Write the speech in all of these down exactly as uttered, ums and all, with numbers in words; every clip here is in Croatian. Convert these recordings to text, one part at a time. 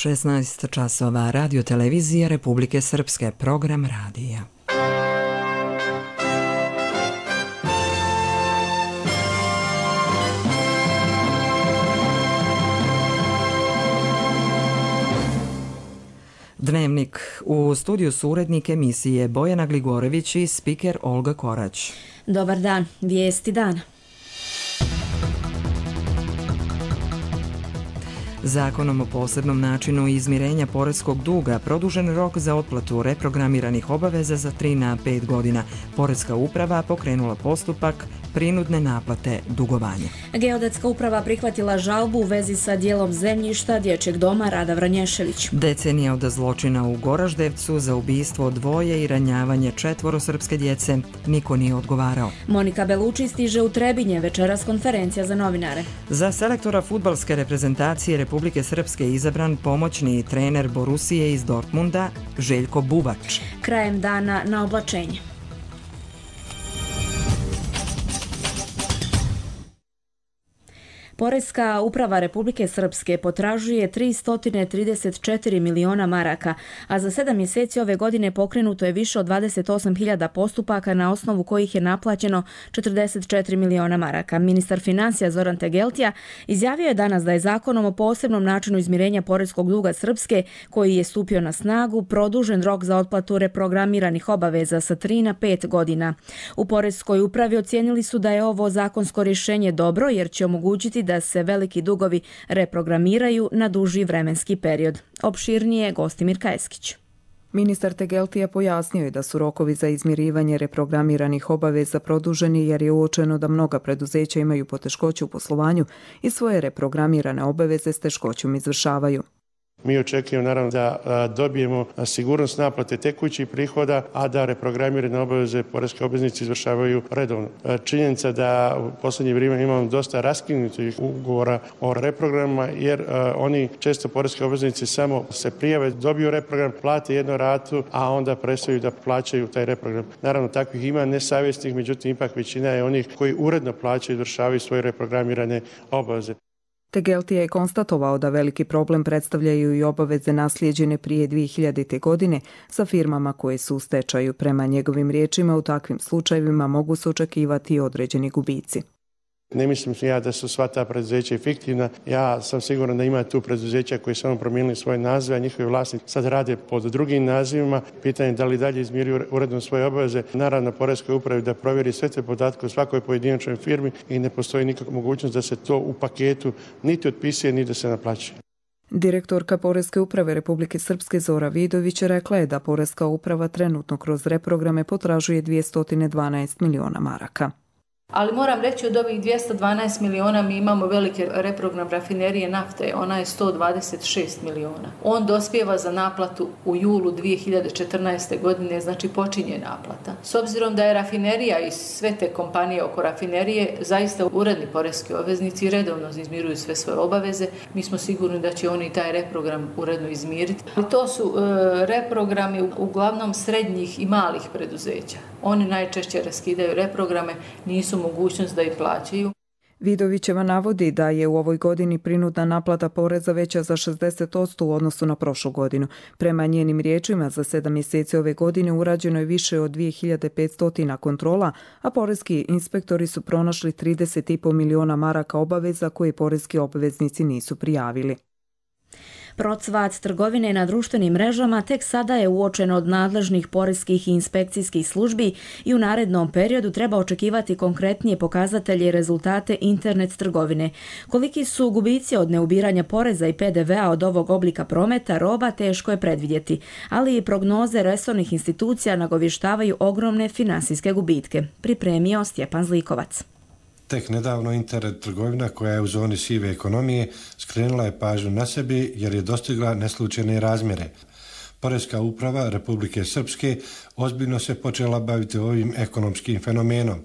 šesnaest časova, Radio televizija Republike Srpske, program radija. Dnevnik. U studiju su urednik emisije Bojana Gligorević i spiker Olga Korać. Dobar dan, vijesti dana. Zakonom o posebnom načinu izmirenja poreskog duga produžen rok za otplatu reprogramiranih obaveza za tri na pet godina. Poreska uprava pokrenula postupak prinudne naplate dugovanja. Geodetska uprava prihvatila žalbu u vezi sa dijelom zemljišta dječjeg doma Rada Vranješević. Decenija od zločina u Goraždevcu za ubistvo dvoje i ranjavanje četvoro srpske djece. Niko nije odgovarao. Monika Beluči stiže u Trebinje, večeras konferencija za novinare. Za selektora fudbalske reprezentacije Republike Srpske izabran pomoćni trener Borusije iz Dortmunda Željko Bubač. Krajem dana na oblačenje. Poreska uprava Republike Srpske potražuje tristo trideset četiri miliona maraka, a za sedam mjeseci ove godine pokrenuto je više od dvadeset osam hiljada postupaka na osnovu kojih je naplaćeno četrdeset četiri miliona maraka. Ministar financija Zoran Tegeltija izjavio je danas da je zakonom o posebnom načinu izmirenja poreskog duga Srpske, koji je stupio na snagu, produžen rok za otplatu reprogramiranih obaveza sa tri na pet godina. U poreskoj upravi ocijenili su da je ovo zakonsko rješenje dobro jer će omogućiti da da se veliki dugovi reprogramiraju na duži vremenski period. Opširnije Gostimir Kajeskić. Ministar Tegeltija pojasnio je da su rokovi za izmirivanje reprogramiranih obaveza produženi jer je uočeno da mnoga preduzeća imaju poteškoće u poslovanju i svoje reprogramirane obaveze s teškoćom izvršavaju. Mi očekujemo naravno da dobijemo sigurnost naplate tekućih prihoda, a da reprogramirane obaveze poreske obveznici izvršavaju redovno. Činjenica da u posljednje vrijeme imamo dosta raskinutih ugovora o reprogramima, jer oni često poreske obveznici samo se prijave, dobiju reprogram, plate jednu ratu, a onda prestaju da plaćaju taj reprogram. Naravno, takvih ima nesavjesnih, međutim, ipak većina je onih koji uredno plaćaju i izvršavaju svoje reprogramirane obaveze. Tegeltija je konstatovao da veliki problem predstavljaju i obaveze naslijeđene prije dvije hiljadite. godine sa firmama koje su u stečaju. Prema njegovim riječima, u takvim slučajevima mogu se očekivati određeni gubici. Ne mislim ja da su sva ta preduzeća fiktivna. Ja sam siguran da ima tu preduzeća koji samo promijenili svoje nazive, a njihovi vlasnici sad rade pod drugim nazivima. Pitanje je da li dalje izmiruju uredno svoje obaveze. Naravno, poreskoj upravi da provjeri sve te podatke u svakoj pojedinačnoj firmi i ne postoji nikakva mogućnost da se to u paketu niti otpisuje, ni da se naplaćuje. Direktorka Poreske uprave Republike Srpske Zora Vidović rekla je da Poreska uprava trenutno kroz reprograme potražuje dvjesto dvanaest miliona maraka. Ali moram reći od ovih dvjesto dvanaest miliona mi imamo velike reprogram rafinerije nafte, ona je sto dvadeset šest miliona. On dospijeva za naplatu u julu dvije hiljade četrnaeste. godine, znači počinje naplata. S obzirom da je rafinerija i sve te kompanije oko rafinerije zaista uredni poreski obveznici redovno izmiruju sve svoje obaveze, mi smo sigurni da će oni taj reprogram uredno izmiriti. I to su e, reprogrami uglavnom srednjih i malih preduzeća. Oni najčešće raskidaju reprograme, nisu mogućnost da ih plaćaju. Vidovićeva navodi da je u ovoj godini prinudna naplata poreza veća za šezdeset posto u odnosu na prošlu godinu. Prema njenim riječima, za sedam mjeseci ove godine urađeno je više od dvije hiljade petsto kontrola, a poreski inspektori su pronašli trideset i pol miliona maraka obaveza koje poreski obveznici nisu prijavili. Procvat trgovine na društvenim mrežama tek sada je uočen od nadležnih poreskih i inspekcijskih službi i u narednom periodu treba očekivati konkretnije pokazatelje i rezultate internet trgovine. Koliki su gubici od neubiranja poreza i pe de ve a od ovog oblika prometa roba teško je predvidjeti, ali i prognoze resornih institucija nagovještavaju ogromne finansijske gubitke. Pripremio Stjepan Zlikovac. Tek nedavno internet trgovina koja je u zoni sive ekonomije skrenula je pažnju na sebi jer je dostigla neslučajne razmjere. Poreska uprava Republike Srpske ozbiljno se počela baviti ovim ekonomskim fenomenom.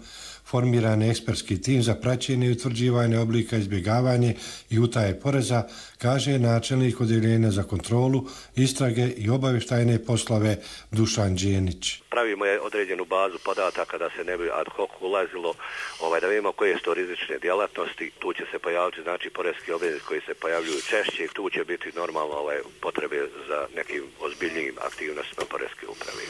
formiran je ekspertski tim za praćenje i utvrđivanje oblika izbjegavanja i utaje poreza, kaže načelnik Odjeljenja za kontrolu, istrage i obavještajne poslove Dušan Đenić. Pravimo je određenu bazu podataka da se ne bi ad hoc ulazilo, ovaj, da vidimo koje su to rizične djelatnosti. Tu će se pojaviti znači poreski obveznici koji se pojavljuju češće i tu će biti normalno ovaj, potrebe za nekim ozbiljnijim aktivnostima poreske uprave.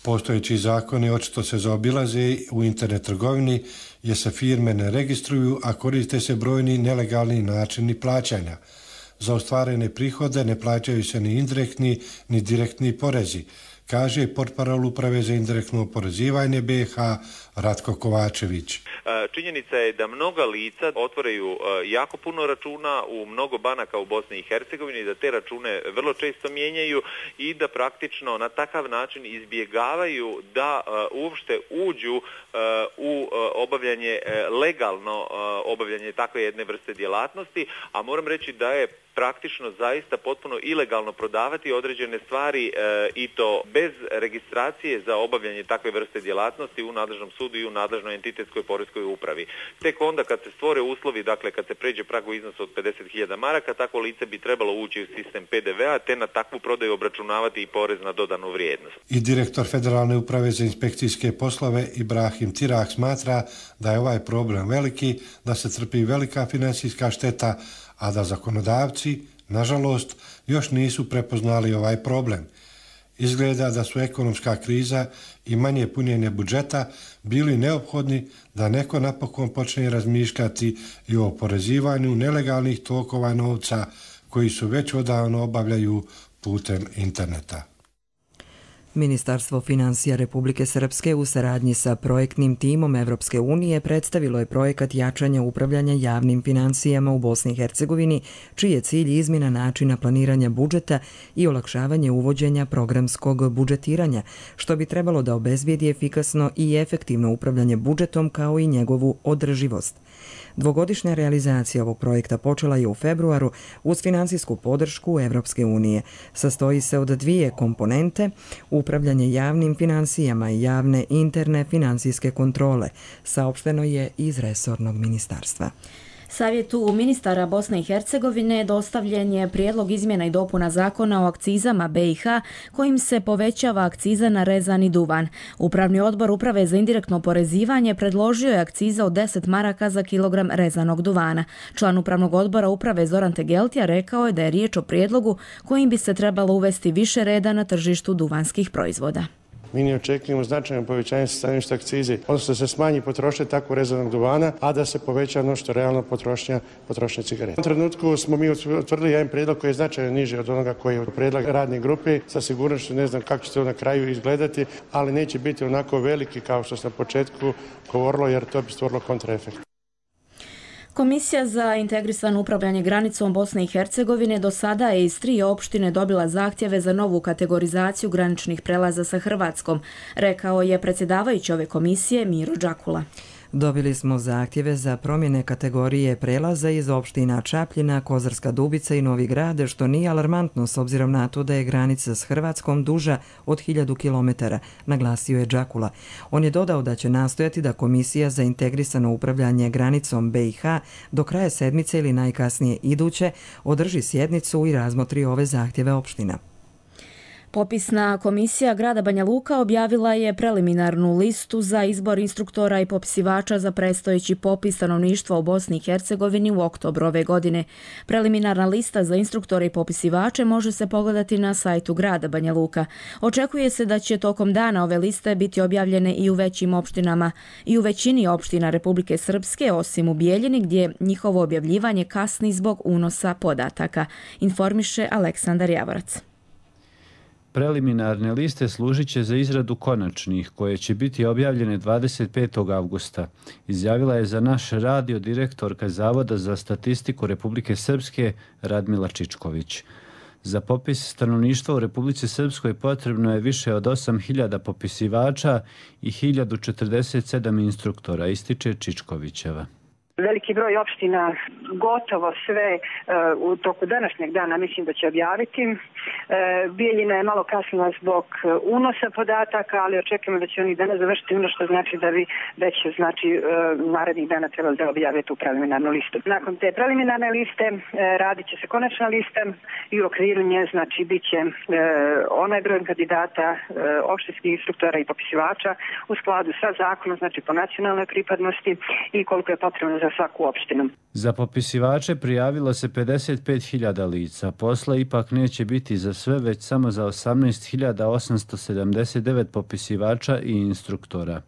Postojeći zakoni očito se zaobilaze u internet trgovini jer se firme ne registruju, a koriste se brojni nelegalni načini plaćanja. Za ostvarene prihode ne plaćaju se ni indirektni ni direktni porezi, kaže portparol Uprave za indirektno oporezivanje B iH Ratko Kovačević. Činjenica je da mnoga lica otvaraju jako puno računa u mnogo banaka u Bosni i Hercegovini, da te račune vrlo često mijenjaju i da praktično na takav način izbjegavaju da uopšte uđu u obavljanje, legalno obavljanje takve jedne vrste djelatnosti, a moram reći da je praktično zaista potpuno ilegalno prodavati određene stvari e, i to bez registracije za obavljanje takve vrste djelatnosti u nadležnom sudu i u nadležnoj entitetskoj poreskoj upravi. Tek onda kad se stvore uslovi, dakle kad se pređe prag u iznosu od pedeset hiljada maraka, takvo lice bi trebalo ući u sistem P D V-a te na takvu prodaju obračunavati i porez na dodanu vrijednost. I direktor Federalne uprave za inspekcijske poslove Ibrahim Tirah smatra da je ovaj problem veliki, da se trpi velika financijska šteta, a da zakonodavci, nažalost, još nisu prepoznali ovaj problem. Izgleda da su ekonomska kriza i manje punjenje budžeta bili neophodni da neko napokon počne razmišljati i o oporezivanju nelegalnih tokova novca koji su već odavno obavljaju putem interneta. Ministarstvo financija Republike Srpske u saradnji sa projektnim timom Evropske unije predstavilo je projekat jačanja upravljanja javnim financijama u Bosni i Hercegovini, čiji je cilj izmjena načina planiranja budžeta i olakšavanje uvođenja programskog budžetiranja, što bi trebalo da obezbijedi efikasno i efektivno upravljanje budžetom kao i njegovu održivost. Dvogodišnja realizacija ovog projekta počela je u februaru uz financijsku podršku Evropske unije. Sastoji se od dvije komponente, upravljanje javnim financijama i javne interne financijske kontrole, saopšteno je iz resornog ministarstva. Savjetu ministara Bosne i Hercegovine dostavljen je prijedlog izmjena i dopuna zakona o akcizama B iH kojim se povećava akciza na rezani duvan. Upravni odbor Uprave za indirektno oporezivanje predložio je akciza od deset maraka za kilogram rezanog duvana. Član Upravnog odbora Uprave Zoran Tegeltija rekao je da je riječ o prijedlogu kojim bi se trebalo uvesti više reda na tržištu duvanskih proizvoda. Mi ne očekujemo značajno povećanje staništa akcize, odnosno da se smanji potrošnja tako rezanog duvana, a da se poveća ono što realno potrošnja, potrošnja cigareta. U tom trenutku smo mi utvrdili jedan prijedlog koji je značajno niži od onoga koji je prijedlog radne grupe. Sa sigurnošću ne znam kako će to na kraju izgledati, ali neće biti onako veliki kao što se na početku govorilo, jer to bi stvorilo kontraefekt. Komisija za integrisano upravljanje granicom Bosne i Hercegovine do sada je iz tri opštine dobila zahtjeve za novu kategorizaciju graničnih prelaza sa Hrvatskom, rekao je predsjedavajući ove komisije Miro Đakula. Dobili smo zahtjeve za promjene kategorije prelaza iz opština Čapljina, Kozarska Dubica i Novi Grad, što nije alarmantno s obzirom na to da je granica s Hrvatskom duža od hiljadu kilometara, naglasio je Đakula. On je dodao da će nastojati da Komisija za integrisano upravljanje granicom B iH do kraja sedmice ili najkasnije iduće održi sjednicu i razmotri ove zahtjeve opština. Popisna komisija grada Banja Luka objavila je preliminarnu listu za izbor instruktora i popisivača za predstojeći popis stanovništva u Bosni i Hercegovini u oktobru ove godine. Preliminarna lista za instruktore i popisivače može se pogledati na sajtu grada Banja Luka. Očekuje se da će tokom dana ove liste biti objavljene i u većim opštinama i u većini opština Republike Srpske, osim u Bijeljini gdje njihovo objavljivanje kasni zbog unosa podataka, informiše Aleksandar Javorac. Preliminarne liste služit će za izradu konačnih, koje će biti objavljene dvadeset petog avgusta, izjavila je za naš radio direktorka Zavoda za statistiku Republike Srpske Radmila Čičković. Za popis stanovništva u Republici Srpskoj potrebno je više od osam hiljada popisivača i hiljadu četrdeset sedam instruktora, ističe Čičkovićeva. Veliki broj opština, gotovo sve u toku današnjeg dana mislim da će objaviti Bijeljina je malo kasnila zbog unosa podataka, ali očekujemo da će oni danas završiti ono što znači da bi već znači narednih dana trebali da objave tu preliminarnu listu. Nakon te preliminarne liste radit će se konačna lista i u okviru nje znači bit će onaj broj kandidata opštinskih instruktora i popisivača u skladu sa zakonom, znači po nacionalnoj pripadnosti i koliko je potrebno za svaku opštinu. Za popisivače prijavilo se pedeset pet hiljada lica. Posla ipak neće biti za sve, već samo za osamnaest hiljada osamsto sedamdeset devet popisivača i instruktora.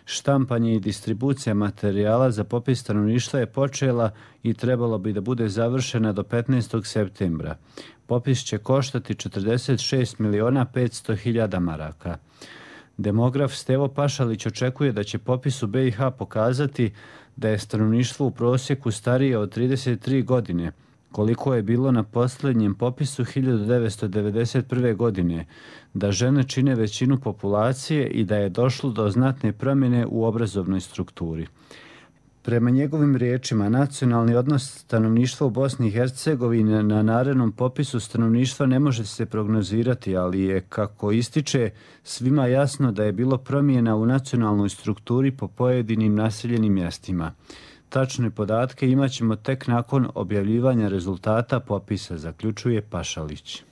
Štampanje i distribucija materijala za popis stanovništva je počela i trebalo bi da bude završena do petnaestog septembra. Popis će koštati četrdeset šest miliona petsto hiljada maraka. Demograf Stevo Pašalić očekuje da će popis u be i ha pokazati da je stanovništvo u prosjeku starije od trideset tri godine, koliko je bilo na posljednjem popisu hiljadu devetsto devedeset prve. godine, da žene čine većinu populacije i da je došlo do znatne promjene u obrazovnoj strukturi. Prema njegovim riječima, nacionalni odnos stanovništva u Bosni i Hercegovini na narednom popisu stanovništva ne može se prognozirati, ali je, kako ističe, svima jasno da je bilo promjena u nacionalnoj strukturi po pojedinim naseljenim mjestima. Tačne podatke imat ćemo tek nakon objavljivanja rezultata popisa, zaključuje Pašalić.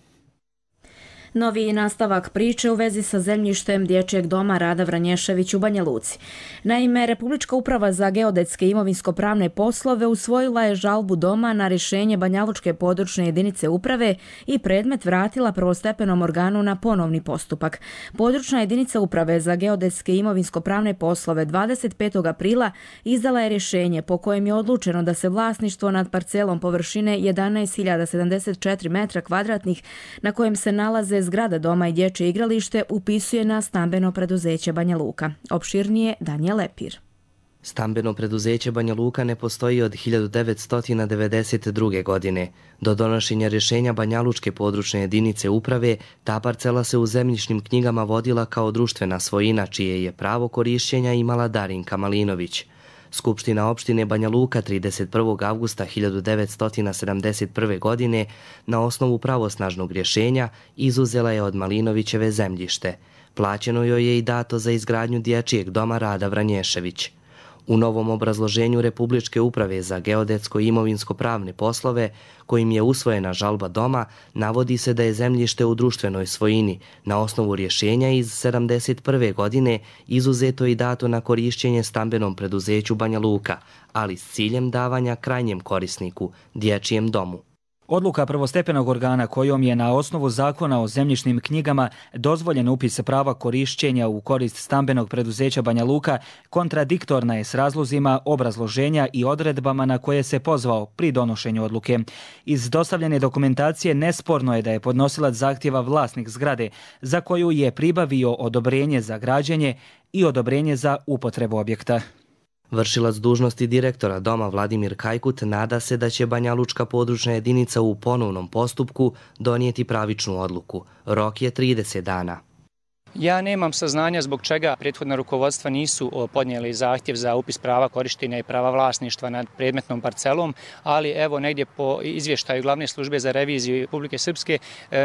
Novi nastavak priče u vezi sa zemljištem Dječjeg doma Rada Vranješević u Banja Luci. Naime, Republička uprava za geodetske i imovinsko-pravne poslove usvojila je žalbu doma na rješenje Banjalučke područne jedinice uprave i predmet vratila prvostepenom organu na ponovni postupak. Područna jedinica uprave za geodetske i imovinsko-pravne poslove dvadeset petog aprila izdala je rješenje po kojem je odlučeno da se vlasništvo nad parcelom površine jedanaest hiljada sedamdeset četiri metra kvadratnih na kojem se nalaze zgrada doma i dječje igralište upisuje na stambeno preduzeće Banja Luka. Opširnije Danijel Lepir. Stambeno preduzeće Banja Luka ne postoji od hiljadu devetsto devedeset druge. godine. Do donošenja rješenja Banjalučke područne jedinice uprave, ta parcela se u zemljišnim knjigama vodila kao društvena svojina, čije je pravo korišćenja imala Darinka Malinović. Skupština opštine Banja Luka trideset prvog avgusta hiljadu devetsto sedamdeset prve. godine na osnovu pravosnažnog rješenja izuzela je od Malinovićeve zemljište. Plaćeno joj je i dato za izgradnju Dječjeg doma Rada Vranješević. U novom obrazloženju Republičke uprave za geodetsko i imovinsko-pravne poslove, kojim je usvojena žalba doma, navodi se da je zemljište u društvenoj svojini na osnovu rješenja iz sedamdeset prve. godine izuzeto i dato na korišćenje stambenom preduzeću Banja Luka, ali s ciljem davanja krajnjem korisniku, Dječjem domu. Odluka prvostepenog organa kojom je na osnovu zakona o zemljišnim knjigama dozvoljen upis prava korišćenja u korist stambenog preduzeća Banja Luka kontradiktorna je s razlozima obrazloženja i odredbama na koje se pozvao pri donošenju odluke. Iz dostavljene dokumentacije nesporno je da je podnosilac zahtjeva vlasnik zgrade za koju je pribavio odobrenje za građenje i odobrenje za upotrebu objekta. Vršilac dužnosti direktora doma Vladimir Kajkut nada se da će Banjalučka područna jedinica u ponovnom postupku donijeti pravičnu odluku. Rok je trideset dana. Ja nemam saznanja zbog čega prethodna rukovodstva nisu podnijeli zahtjev za upis prava korištenja i prava vlasništva nad predmetnom parcelom, ali evo negdje po izvještaju Glavne službe za reviziju Republike Srpske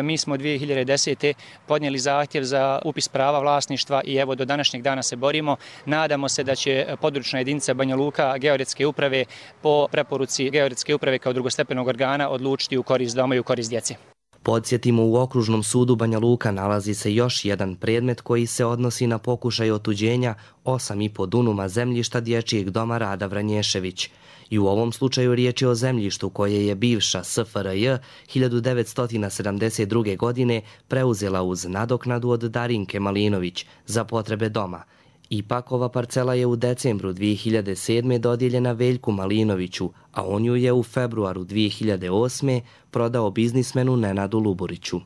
mi smo dvije hiljade desete. podnijeli zahtjev za upis prava vlasništva i evo do današnjeg dana se borimo. Nadamo se da će područna jedinica Banja Luka geodetske uprave po preporuci geodetske uprave kao drugostepenog organa odlučiti u korist doma i u korist djece. Podsjetimo, u Okružnom sudu Banja Luka nalazi se još jedan predmet koji se odnosi na pokušaj otuđenja osam i po dunuma zemljišta Dječjeg doma Rada Vranješević. I u ovom slučaju riječ je o zemljištu koje je bivša S F R J hiljadu devetsto sedamdeset druge. godine preuzela uz nadoknadu od Darinke Malinović za potrebe doma. Ipak ova parcela je u decembru dvije hiljade sedme. dodijeljena Veljku Malinoviću, a on ju je u februaru dvije hiljade osme. prodao biznismenu Nenadu Luburiću.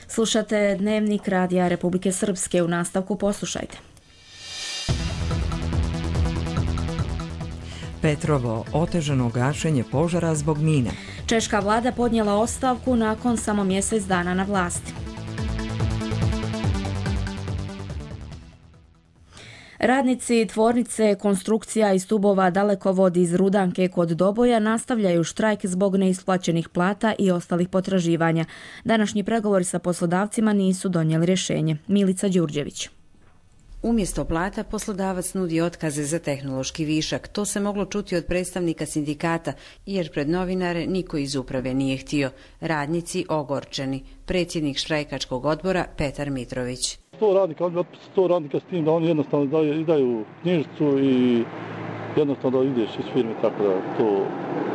Slušate Dnevnik Radija Republike Srpske, u nastavku poslušajte. Petrovo, otežano gašenje požara zbog mina. Češka vlada podnijela ostavku nakon samo mjesec dana na vlasti. Radnici tvornice konstrukcija i stubova Dalekovod iz Rudanke kod Doboja nastavljaju štrajk zbog neisplaćenih plata i ostalih potraživanja. Današnji pregovori sa poslodavcima nisu donijeli rješenje. Milica Đurđević. Umjesto plata poslodavac nudi otkaze za tehnološki višak. To se moglo čuti od predstavnika sindikata, jer pred novinare niko iz uprave nije htio. Radnici ogorčeni. Predsjednik štrajkačkog odbora Petar Mitrović. sto radnika, oni otpisi sto radnika s tim da oni jednostavno daju, izdaju knjižicu i jednostavno da ideš iz firme, tako da to...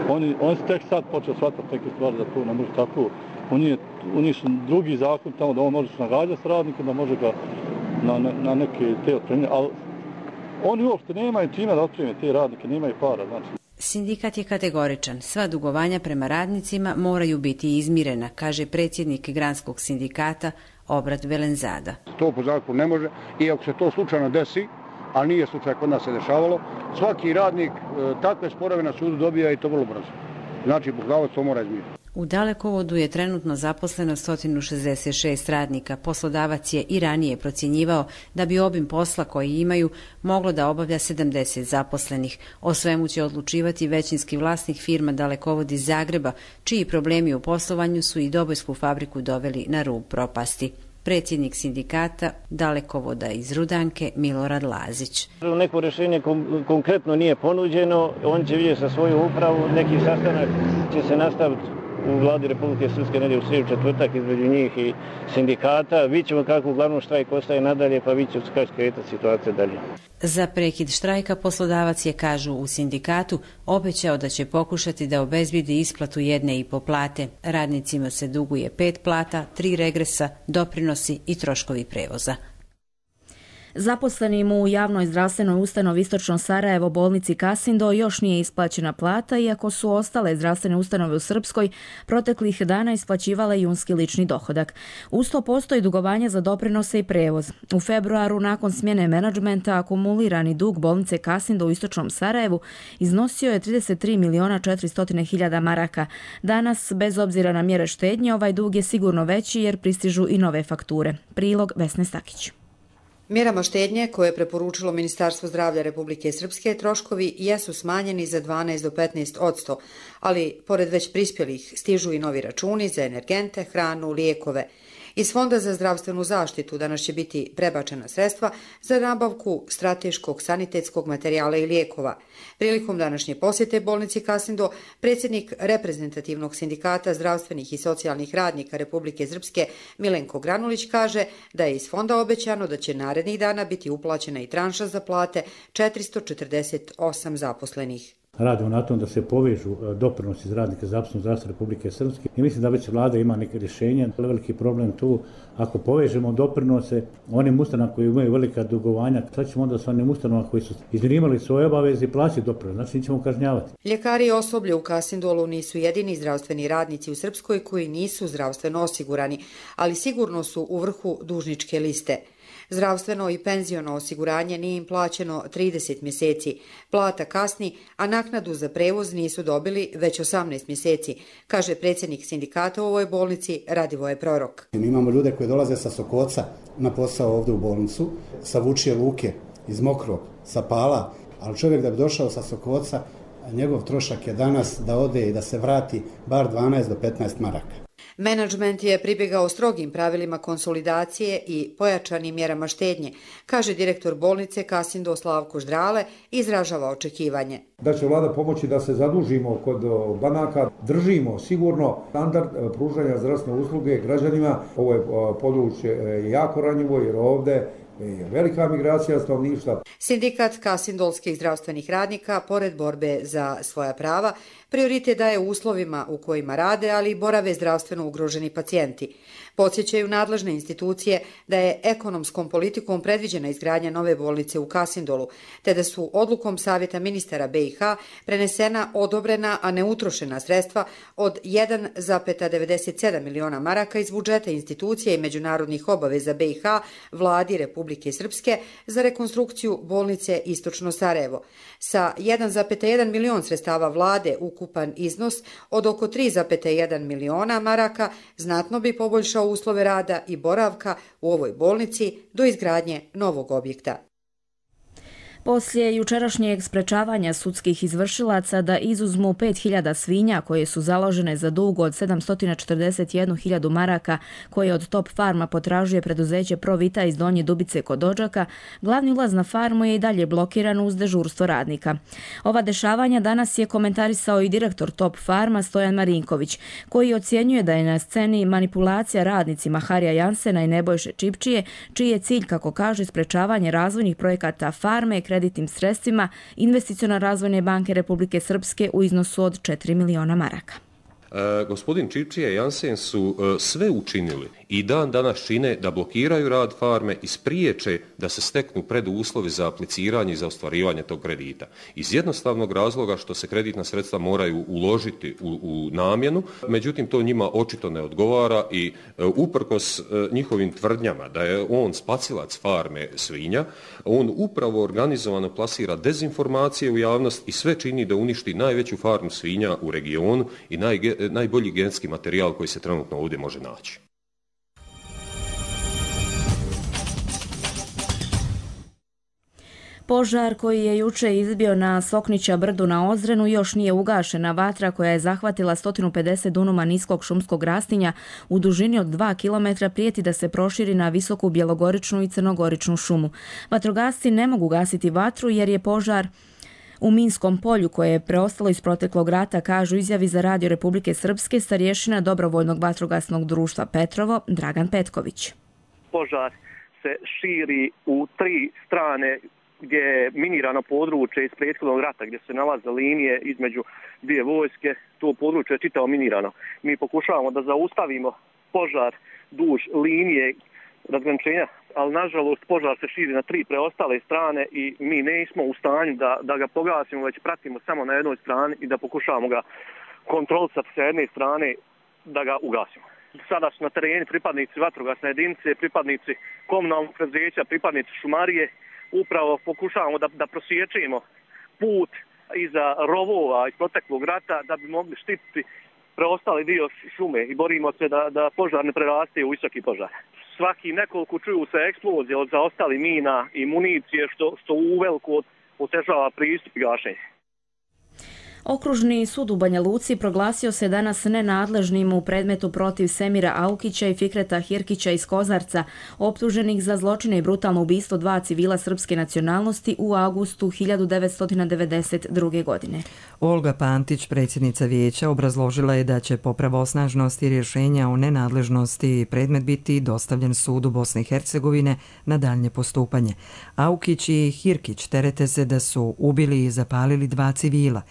Oni, oni su tek sad počeli shvatati neke stvari da to ne može tako. Oni, oni su drugi zakon tamo da on može se nagađati s radnikom, da može ga na, na, na neke te otpremlje, ali oni uopšte nemaju čime da otpremlje te radnike, nemaju para, znači. Sindikat je kategoričan. Sva dugovanja prema radnicima moraju biti izmirena, kaže predsjednik Granskog sindikata Obrat Velenzada. To po zakonu ne može i ako se to slučajno desi, a nije slučaj kod nas se dešavalo, svaki radnik e, takve sporove na sudu dobija i to vrlo brzo. Znači, poslodavac to mora izmiriti. U Dalekovodu je trenutno zaposleno sto šezdeset šest radnika. Poslodavac je i ranije procjenjivao da bi obim posla koji imaju moglo da obavlja sedamdeset zaposlenih. O svemu će odlučivati većinski vlasnik firma Dalekovod iz Zagreba, čiji problemi u poslovanju su i Dobojsku fabriku doveli na rub propasti. Predsjednik sindikata Dalekovoda iz Rudanke Milorad Lazić. Neko rješenje kom, konkretno nije ponuđeno, on će vidjeti sa svoju upravu, neki sastanak će se nastaviti u vladi Republike Srpske negdje u srijedu četvrtak između njih i sindikata. Vidjet ćemo kako uglavnom štrajk ostaje nadalje, pa vidjet ćemo kako će kretati situacija dalje. Za prekid štrajka poslodavac je, kažu u sindikatu, obećao da će pokušati da obezbijedi isplatu jedne i po plate. Radnicima se duguje pet plata, tri regresa, doprinosi i troškovi prevoza. Zaposlenim u javnoj zdravstvenoj ustanovi Istočno Sarajevo bolnici Kasindo još nije isplaćena plata, iako su ostale zdravstvene ustanove u Srpskoj proteklih dana isplaćivale junski lični dohodak. Uz to postoji dugovanje za doprinose i prevoz. U februaru, nakon smjene menadžmenta, akumulirani dug bolnice Kasindo u Istočnom Sarajevu iznosio je trideset tri miliona četiristo hiljada maraka. Danas, bez obzira na mjere štednje, ovaj dug je sigurno veći jer pristižu i nove fakture. Prilog Vesne Stakić. Mjerama štednje koje je preporučilo Ministarstvo zdravlja Republike Srpske, troškovi jesu smanjeni za dvanaest do petnaest posto, ali pored već prispjelih stižu i novi računi za energente, hranu, lijekove. Iz Fonda za zdravstvenu zaštitu danas će biti prebačena sredstva za nabavku strateškog sanitetskog materijala i lijekova. Prilikom današnje posjete bolnici Kasindo, predsjednik reprezentativnog sindikata zdravstvenih i socijalnih radnika Republike Srpske Milenko Granulić kaže da je iz fonda obećano da će narednih dana biti uplaćena i tranša za plate četiristo četrdeset osam zaposlenih. Radimo na tom da se povežu doprinosi za radnike za apsolutno zdravstvo Republike Srpske i mislim da već vlada ima neke rješenje. Veliki problem tu, ako povežemo doprinose onim ustanovama koji imaju velika dugovanja, sad ćemo onda s onim ustanovama koji su izmirivali svoje obaveze i plaćati doprinose, znači nećemo kažnjavati. Ljekari i osoblje u Kasindolu nisu jedini zdravstveni radnici u Srpskoj koji nisu zdravstveno osigurani, ali sigurno su u vrhu dužničke liste. Zdravstveno i penziono osiguranje nije im plaćeno trideset mjeseci. Plata kasni, a naknadu za prevoz nisu dobili već osamnaest mjeseci, kaže predsjednik sindikata u ovoj bolnici Radivoje Prorok. Mi imamo ljude koji dolaze sa Sokoca na posao ovdje u bolnicu, sa Vučije Luke, iz Mokrog, sa Pala, ali čovjek da bi došao sa Sokoca, njegov trošak je danas da ode i da se vrati bar dvanaest do petnaest maraka. Menadžment je pribjegao strogim pravilima konsolidacije i pojačanim mjerama štednje, kaže direktor bolnice Kasindo Slavko Ždrale, izražava očekivanje. Da će vlada pomoći da se zadužimo kod banaka, držimo sigurno standard pružanja zdravstvene usluge građanima. Ovo je područje jako ranjivo jer ovdje je velika migracija stanovništva. Sindikat kasindolskih zdravstvenih radnika, pored borbe za svoja prava, prioritet daje uslovima u kojima rade, ali i borave zdravstveno ugroženi pacijenti. Podsjećaju nadležne institucije da je ekonomskom politikom predviđena izgradnja nove bolnice u Kasindolu, te da su odlukom Savjeta ministara B i H prenesena odobrena, a ne utrošena sredstva od jedan zarez devedeset sedam miliona maraka iz budžeta institucije i međunarodnih obaveza B i H vladi Republike Srpske za rekonstrukciju bolnice Istočno Sarajevo. Sa jedan zarez jedan milion sredstava vlade ukupan iznos od oko tri zarez jedan miliona maraka znatno bi poboljšao uslove rada i boravka u ovoj bolnici do izgradnje novog objekta. Poslije jučerašnjeg sprečavanja sudskih izvršilaca da izuzmu pet hiljada svinja koje su založene za dug od sedamsto četrdeset jednu hiljadu maraka koje od Top Farma potražuje preduzeće Provita iz Donje Dubice kod Odžaka, glavni ulaz na farmu je i dalje blokiran uz dežurstvo radnika. Ova dešavanja danas je komentarisao i direktor Top Farma Stojan Marinković, koji ocjenjuje da je na sceni manipulacija radnicima Harija Jansena i Nebojše Čipčije, čiji je cilj, kako kaže, sprečavanje razvojnih projekata farme kreditnim sredstvima Investicione razvojne banke Republike Srpske u iznosu od četiri miliona maraka. E, gospodin Čipčija i Jansen su e, sve učinili i dan danas čine da blokiraju rad farme i spriječe da se steknu preduslovi za apliciranje i za ostvarivanje tog kredita. Iz jednostavnog razloga što se kreditna sredstva moraju uložiti u, u namjenu, međutim to njima očito ne odgovara i e, uprkos e, njihovim tvrdnjama da je on spacilac farme svinja, on upravo organizovano plasira dezinformacije u javnost i sve čini da uništi najveću farmu svinja u regionu i najge, najbolji genetski materijal koji se trenutno ovdje može naći. Požar koji je juče izbio na Soknića brdu na Ozrenu još nije ugašena. Vatra koja je zahvatila sto pedeset dunuma niskog šumskog rastinja u dužini od dva kilometra prijeti da se proširi na visoku bjelogoričnu i crnogoričnu šumu. Vatrogasci ne mogu gasiti vatru jer je požar u minskom polju koje je preostalo iz proteklog rata, kažu izjavi za Radio Republike Srpske starješina dobrovoljnog vatrogasnog društva Petrovo Dragan Petković. Požar se širi u tri strane gdje je minirano područje iz prethodnog rata, gdje se nalaze linije između dvije vojske. To područje je čitavo minirano. Mi pokušavamo da zaustavimo požar duž linije razgraničenja, ali nažalost požar se širi na tri preostale strane i mi nismo u stanju da, da ga pogasimo, već pratimo samo na jednoj strani i da pokušavamo ga kontrolisati sa jedne strane da ga ugasimo. Sada su na terenu pripadnici vatrogasne jedinice, pripadnici komunalnog preduzeća, pripadnici šumarije. Upravo pokušavamo da, da prosječimo put iza rovova iz proteklog rata da bi mogli štititi preostali dio šume i borimo se da, da požar ne preraste u visoki požar. Svaki nekoliko čuju se eksplozije od zaostali mina i municije što, što uveliko otežava pristup i gašenje. Okružni sud u Banja Luci proglasio se danas nenadležnim u predmetu protiv Semira Aukića i Fikreta Hirkića iz Kozarca, optuženih za zločine i brutalno ubistvo dva civila srpske nacionalnosti u avgustu hiljadu devetsto devedeset druge. godine. Olga Pantić, predsjednica vijeća, obrazložila je da će po pravosnažnosti rješenja o nenadležnosti predmet biti dostavljen sudu Bosne i Hercegovine na daljnje postupanje. Aukić i Hirkić terete se da su ubili i zapalili dva civila.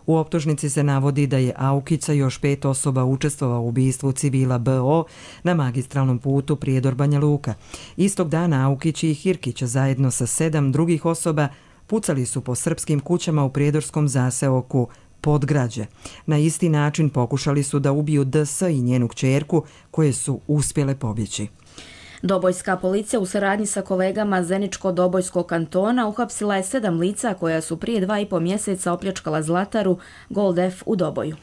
U optužnici se navodi da je Aukica još pet osoba učestvovao u ubistvu civila B O na magistralnom putu Prijedor-Banja Luka. Istog dana Aukić i Hirkić zajedno sa sedam drugih osoba pucali su po srpskim kućama u prijedorskom zaseoku Podgrađe. Na isti način pokušali su da ubiju D S i njenu kćerku koje su uspjele pobjeći. Dobojska policija u saradnji sa kolegama Zeničko-Dobojskog kantona uhapsila je sedam lica koja su prije dva i po mjeseca opljačkala zlataru Gold F u Doboju.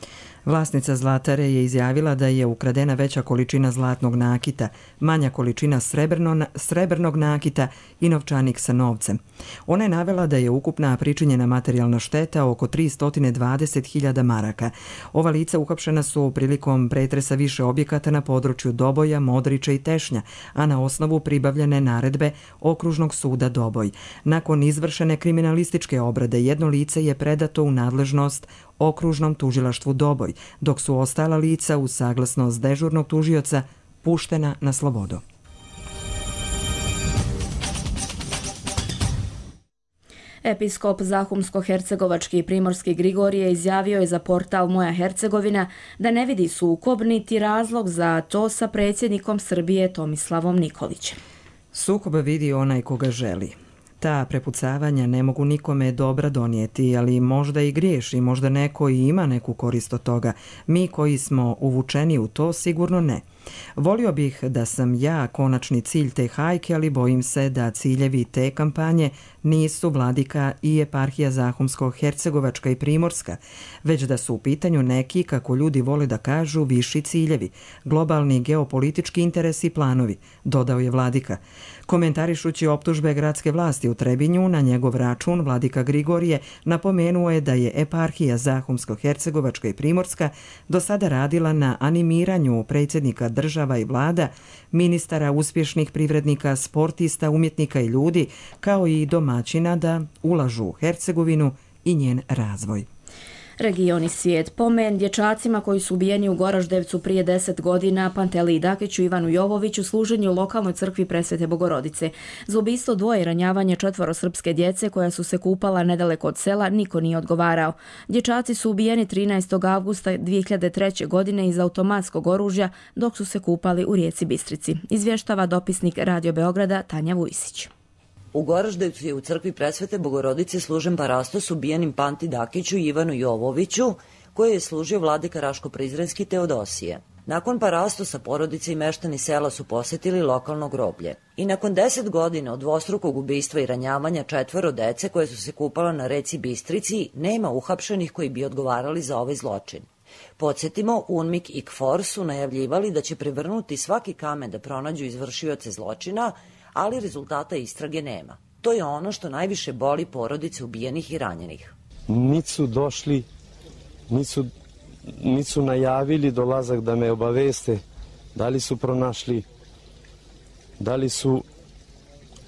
Vlasnica zlatare je izjavila da je ukradena veća količina zlatnog nakita, manja količina srebrno, srebrnog nakita i novčanik sa novcem. Ona je navela da je ukupna pričinjena materijalna šteta oko tristo dvadeset hiljada maraka. Ova lica uhapšena su prilikom pretresa više objekata na području Doboja, Modrića i Tešnja, a na osnovu pribavljene naredbe Okružnog suda Doboj. Nakon izvršene kriminalističke obrade jedno lice je predato u nadležnost Okružnom tužilaštvu Doboj, dok su ostala lica uz saglasnost dežurnog tužioca puštena na slobodu. Episkop Zahumsko-hercegovački i primorski Grigorije izjavio je za portal Moja Hercegovina da ne vidi sukob niti razlog za to sa predsjednikom Srbije Tomislavom Nikolićem. Sukob vidi onaj koga želi. Ta prepucavanja ne mogu nikome dobra donijeti, ali možda i griješi, možda neko i ima neku korist od toga. Mi koji smo uvučeni u to sigurno ne. Volio bih da sam ja konačni cilj te hajke, ali bojim se da ciljevi te kampanje nisu vladika i eparhija Zahumsko-Hercegovačka i Primorska, već da su u pitanju neki, kako ljudi vole da kažu, viši ciljevi, globalni geopolitički interesi i planovi, dodao je vladika. Komentarišući optužbe gradske vlasti u Trebinju na njegov račun, vladika Grigorije napomenuo je da je eparhija Zahumsko-Hercegovačka i Primorska do sada radila na animiranju predsjednika država i vlada, ministara, uspješnih privrednika, sportista, umjetnika i ljudi, kao i domaćina da ulažu u Hercegovinu i njen razvoj. Regioni svijet. Pomen dječacima koji su ubijeni u Goraždevcu prije deset godina, Panteliji Dakiću i Ivanu Jovoviću, služenju u lokalnoj crkvi Presvete Bogorodice. Za ubistvo dvoje i ranjavanje četvoro srpske djece koja su se kupala nedaleko od sela niko nije odgovarao. Dječaci su ubijeni trinaestog avgusta dvije hiljade treće. godine iz automatskog oružja dok su se kupali u rijeci Bistrici. Izvještava dopisnik Radio Beograda Tanja Vujsić. U Goraždevcu je u crkvi Presvete Bogorodice služen parastos ubijenim Panti Dakiću i Ivanu Jovoviću, koji je služio vladika Raško-Prizrenski Teodosije. Nakon parastosa porodice i meštani sela su posjetili lokalno groblje. I nakon deset godina od dvostrukog ubistva i ranjavanja četvoro dece koje su se kupala na reci Bistrici, nema uhapšenih koji bi odgovarali za ovaj zločin. Podsjetimo, UNMIK i KFOR su najavljivali da će prevrnuti svaki kamen da pronađu izvršioce zločina, ali rezultata istrage nema. To je ono što najviše boli porodice ubijenih i ranjenih. Niti su došli, niti su, niti su najavili dolazak da me obaveste, da li su pronašli, da li su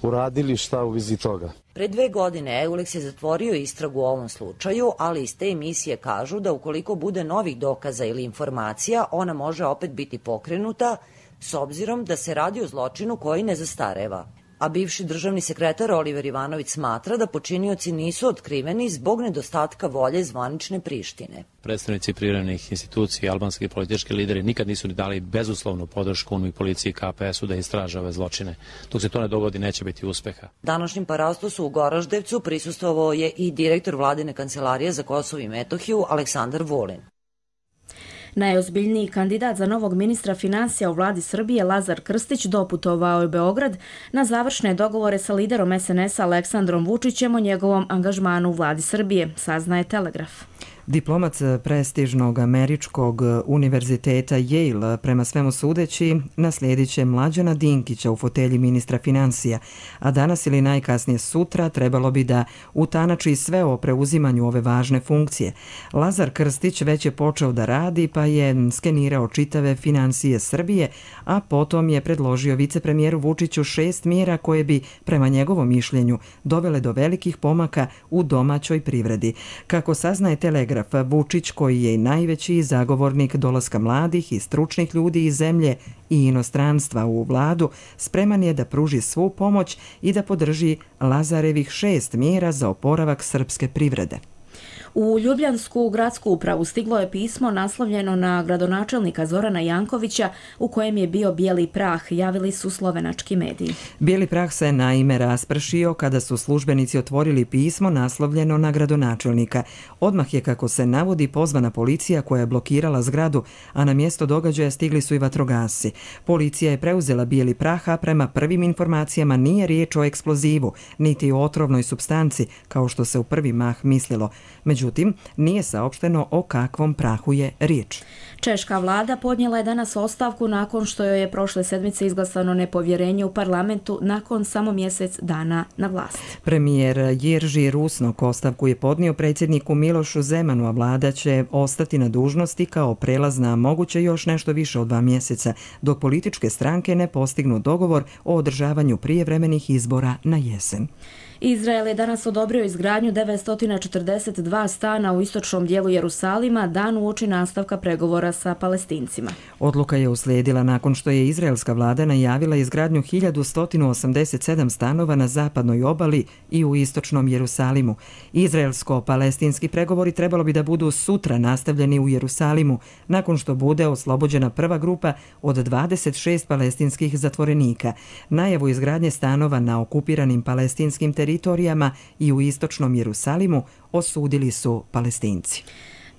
uradili šta u vizi toga. Pre dve godine EULEX je zatvorio istragu u ovom slučaju, ali iz te emisije kažu da ukoliko bude novih dokaza ili informacija, ona može opet biti pokrenuta, s obzirom da se radi o zločinu koji ne zastareva. A bivši državni sekretar Oliver Ivanović smatra da počinioci nisu otkriveni zbog nedostatka volje zvanične Prištine. Predstavnici privremenih institucija i albanski politički lideri nikad nisu ni dali bezuslovnu podršku UNMIK, policiji i K P S-u da istraže ove zločine. Dok se to ne dogodi, neće biti uspeha. Današnjim parastosu u Goraždevcu prisustvovao je i direktor vladine kancelarije za Kosovo i Metohiju Aleksandar Vulin. Najozbiljniji kandidat za novog ministra financija u vladi Srbije, Lazar Krstić, doputovao je u Beograd na završne dogovore sa liderom S N S-a Aleksandrom Vučićem o njegovom angažmanu u vladi Srbije, saznaje Telegraf. Diplomat prestižnog američkog univerziteta Yale, prema svemu sudeći, naslijedit će Mlađana Dinkića u fotelji ministra financija, a danas ili najkasnije sutra trebalo bi da utanači sve o preuzimanju ove važne funkcije. Lazar Krstić već je počeo da radi, pa je skenirao čitave financije Srbije, a potom je predložio vicepremijeru Vučiću šest mjera koje bi, prema njegovom mišljenju, dovele do velikih pomaka u domaćoj privredi. Kako saznaje Telegraf, Vučić, koji je i najveći zagovornik dolaska mladih i stručnih ljudi iz zemlje i inostranstva u vladu, spreman je da pruži svu pomoć i da podrži Lazarevih šest mjera za oporavak srpske privrede. U Ljubljansku gradsku upravu stiglo je pismo naslovljeno na gradonačelnika Zorana Jankovića u kojem je bio bijeli prah, javili su slovenački mediji. Bijeli prah se naime raspršio kada su službenici otvorili pismo naslovljeno na gradonačelnika. Odmah je, kako se navodi, pozvana policija koja je blokirala zgradu, a na mjesto događaja stigli su i vatrogasci. Policija je preuzela bijeli prah, a prema prvim informacijama nije riječ o eksplozivu, niti o otrovnoj supstanci, kao što se u prvi mah mislilo. Međutim, nije saopšteno o kakvom prahu je riječ. Češka vlada podnijela je danas ostavku nakon što joj je prošle sedmice izglasano nepovjerenje u parlamentu nakon samo mjesec dana na vlasti. Premijer Jerži Rusnok ostavku je podnio predsjedniku Milošu Zemanu, a vlada će ostati na dužnosti kao prelazna moguće još nešto više od dva mjeseca, dok političke stranke ne postignu dogovor o održavanju prijevremenih izbora na jesen. Izrael je danas odobrio izgradnju devetsto četrdeset dva stana u istočnom dijelu Jerusalima dan uoči nastavka pregovora sa Palestincima. Odluka je uslijedila nakon što je izraelska vlada najavila izgradnju hiljadu sto osamdeset sedam stanova na zapadnoj obali i u istočnom Jerusalimu. Izraelsko-palestinski pregovori trebalo bi da budu sutra nastavljeni u Jerusalimu, nakon što bude oslobođena prva grupa od dvadeset šest palestinskih zatvorenika. Najavu izgradnje stanova na okupiranim palestinskim teritorijama i u istočnom Jerusalimu osudili su Palestinci.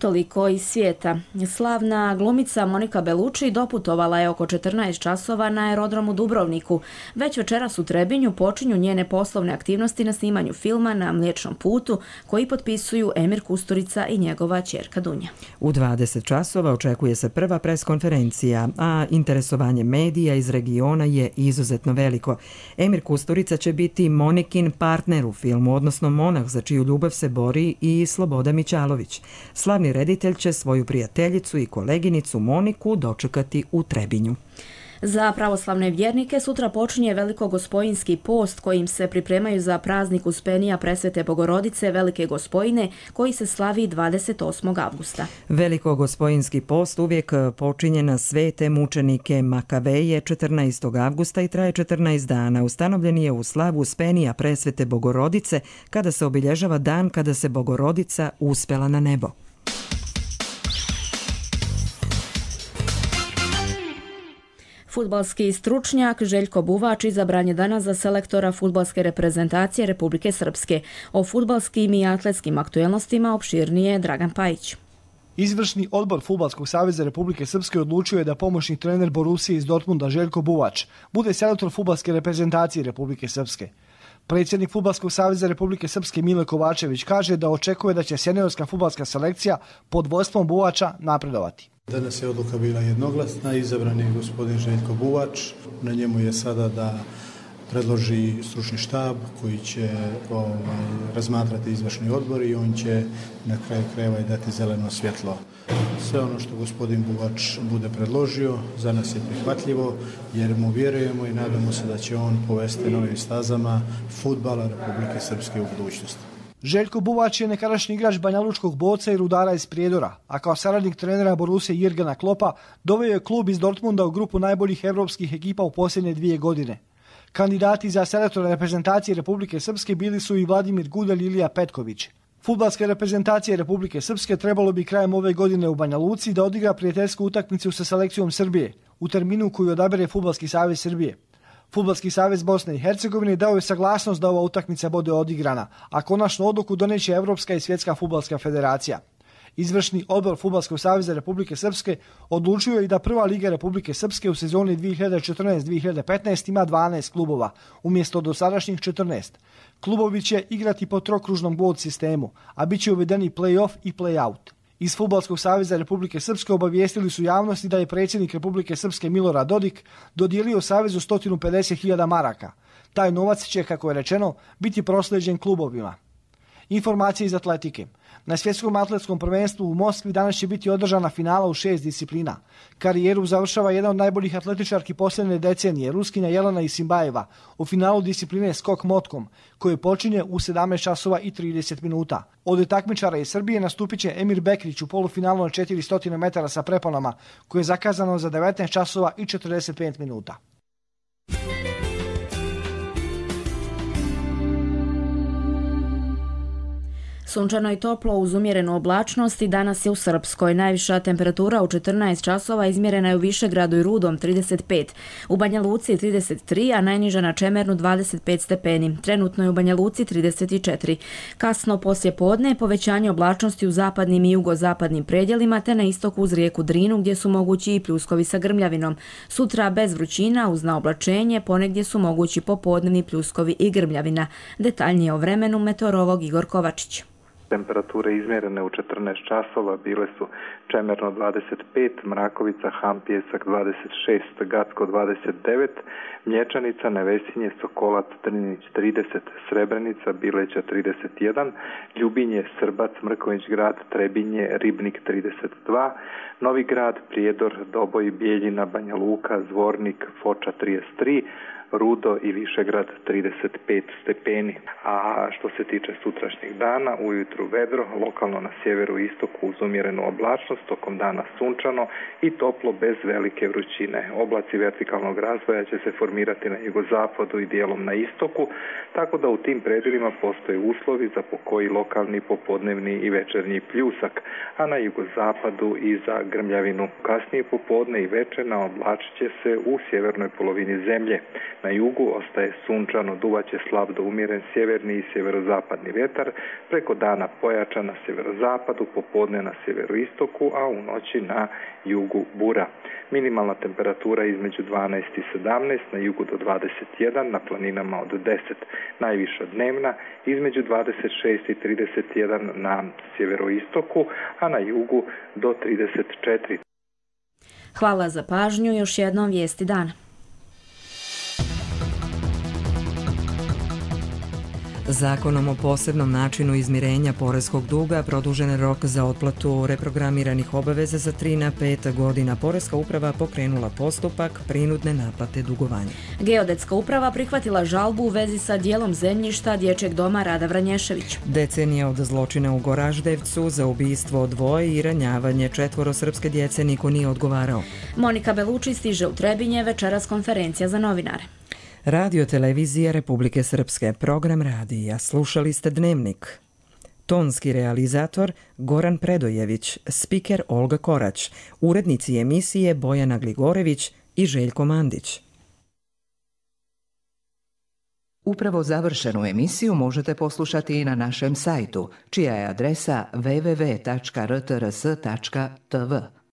Toliko iz svijeta. Slavna glumica Monika Bellucci doputovala je oko četrnaest časova na aerodromu Dubrovniku. Već večeras u Trebinju počinju njene poslovne aktivnosti na snimanju filma Na Mliječnom putu, koji potpisuju Emir Kusturica i njegova ćerka Dunja. U dvadeset časova očekuje se prva preskonferencija, a interesovanje medija iz regiona je izuzetno veliko. Emir Kusturica će biti Monikin partner u filmu, odnosno monah za čiju ljubav se bori i Sloboda Mićalović. Slavni reditelj će svoju prijateljicu i koleginicu Moniku dočekati u Trebinju. Za pravoslavne vjernike sutra počinje Velikogospojinski post kojim se pripremaju za praznik Uspenija Presvete Bogorodice Velike Gospojine koji se slavi dvadeset osmog avgusta. Velikogospojinski post uvijek počinje na svete mučenike Makaveje četrnaestog avgusta i traje četrnaest dana. Ustanovljen je u slavu Uspenija Presvete Bogorodice kada se obilježava dan kada se Bogorodica uspela na nebo. Fudbalski stručnjak Željko Buvač izabran je danas za selektora fudbalske reprezentacije Republike Srpske. O fudbalskim i atletskim aktuelnostima opširnije Dragan Pajić. Izvršni odbor Fudbalskog saveza Republike Srpske odlučio je da pomoćni trener Borusije iz Dortmunda Željko Buvač bude selektor fudbalske reprezentacije Republike Srpske. Predsjednik Fudbalskog saveza Republike Srpske Mile Kovačević kaže da očekuje da će seniorska fudbalska selekcija pod vodstvom Buvača napredovati. Danas je odluka bila jednoglasna, izabran je gospodin Željko Buvač. Na njemu je sada da predloži stručni štab koji će ovaj, razmatrati izvršni odbor i on će na kraju krajeva i dati zeleno svjetlo. Sve ono što gospodin Buvač bude predložio za nas je prihvatljivo jer mu vjerujemo i nadamo se da će on povesti novim stazama fudbala Republike Srpske u budućnosti. Željko Buvač je nekadašnji igrač Banjalučkog Boca i Rudara iz Prijedora, a kao saradnik trenera Borusije Jirgena Kloppa doveo je klub iz Dortmunda u grupu najboljih evropskih ekipa u posljednje dvije godine. Kandidati za selektora reprezentacije Republike Srpske bili su i Vladimir Gudelj i Ilija Petković. Fudbalske reprezentacije Republike Srpske trebalo bi krajem ove godine u Banja Luci da odigra prijateljsku utakmicu sa selekcijom Srbije, u terminu koju odabere Fudbalski savez Srbije. Fudbalski savez Bosne i Hercegovine dao je saglasnost da ova utakmica bude odigrana, a konačnu odluku doneće Evropska i Svjetska fudbalska federacija. Izvršni odbor Fudbalskog saveza Republike Srpske odlučio je i da Prva liga Republike Srpske u sezoni dvije hiljade četrnaeste dvije hiljade petnaeste ima dvanaest klubova, umjesto dosadašnjih četrnaest. Klubovi će igrati po trokružnom bod sistemu, a bit će uvedeni play-off i play-out. Iz Fudbalskog saveza Republike Srpske obavijestili su javnosti da je predsjednik Republike Srpske Milorad Dodik dodijelio savezu sto pedeset hiljada maraka. Taj novac će, kako je rečeno, biti proslijeđen klubovima. Informacije iz atletike. Na svjetskom atletskom prvenstvu u Moskvi danas će biti održana finala u šest disciplina. Karijeru završava jedan od najboljih atletičarki posljednje decenije, Ruskinja Jelena Isimbajeva, u finalu discipline skok motkom, koje počinje u sedamnaest časova i trideset minuta. Od takmičara iz Srbije nastupit će Emir Bekrić u polufinalu na četiristo metara sa preponama, koje je zakazano za devetnaest časova i četrdeset pet minuta. Sunčano i toplo uz umjerenu oblačnost i danas je u Srpskoj. Najviša temperatura u četrnaest časova izmjerena je u Višegradu i Rudom trideset pet, u Banja Luci trideset tri, a najniža na Čemernu dvadeset pet stepeni. Trenutno je u Banja Luci trideset četiri. Kasno poslje podne povećanje oblačnosti u zapadnim i jugozapadnim predjelima te na istoku uz rijeku Drinu gdje su mogući i pljuskovi sa grmljavinom. Sutra bez vrućina uz naoblačenje, ponegdje su mogući popodnevni pljuskovi i grmljavina. Detaljnije o vremenu meteorolog Igor Kovačić. Temperature izmjerene u četrnaest časova bile su Čemerno dvadeset pet, Mrakovica, Hampjesak dvadeset šest, Gacko dvadeset devet, Mlječanica, Nevesinje, Sokolac, Drnić trideset, Srebrenica, Bileća trideset jedan, Ljubinje, Srbac, Mrkonjić Grad, Trebinje, Ribnik trideset dva, Novi Grad, Prijedor, Doboj, Bijeljina, Banja Luka, Zvornik, Foča trideset tri, Rudo i Višegrad trideset pet stepeni. A što se tiče sutrašnjih dana, ujutru vedro, lokalno na sjeveru i istoku uz umjerenu oblačnost, tokom dana sunčano i toplo bez velike vrućine. Oblaci vertikalnog razvoja će se formirati na jugozapadu i dijelom na istoku, tako da u tim predjelima postoje uslovi za pokoji lokalni popodnevni i večernji pljusak, a na jugozapadu i za grmljavinu. Kasnije popodne i večer naoblačit će se u sjevernoj polovini zemlje. Na jugu ostaje sunčano, duvaće slab do umjeren sjeverni i sjeverozapadni vjetar, preko dana pojačan na sjeverozapadu, popodne na sjeveroistoku, a u noći na jugu bura. Minimalna temperatura između dvanaest i sedamnaest, na jugu do dvadeset jedan, na planinama od deset. Najviša dnevna između dvadeset šest i trideset jedan na sjeveroistoku, a na jugu do trideset četiri. Hvala za pažnju, još jednom vijesti dana. Zakonom o posebnom načinu izmirenja poreskog duga produžen je rok za otplatu reprogramiranih obaveza za tri na pet godina. Poreska uprava pokrenula postupak prinudne naplate dugovanja. Geodetska uprava prihvatila žalbu u vezi sa dijelom zemljišta Dječjeg doma Rada Vranješević. Decenija od zločina u Goraždevcu za ubistvo dvoje i ranjavanje četvoro srpske djece niko nije odgovarao. Monika Beluči stiže u Trebinje, večeras konferencija za novinare. Radio televizija Republike Srpske, program radija, slušali ste Dnevnik. Tonski realizator Goran Predojević, spiker Olga Korać, urednici emisije Bojana Gligorević i Željko Mandić. Upravo završenu emisiju možete poslušati i na našem sajtu, čija je adresa w w w tačka r t r s tačka t v.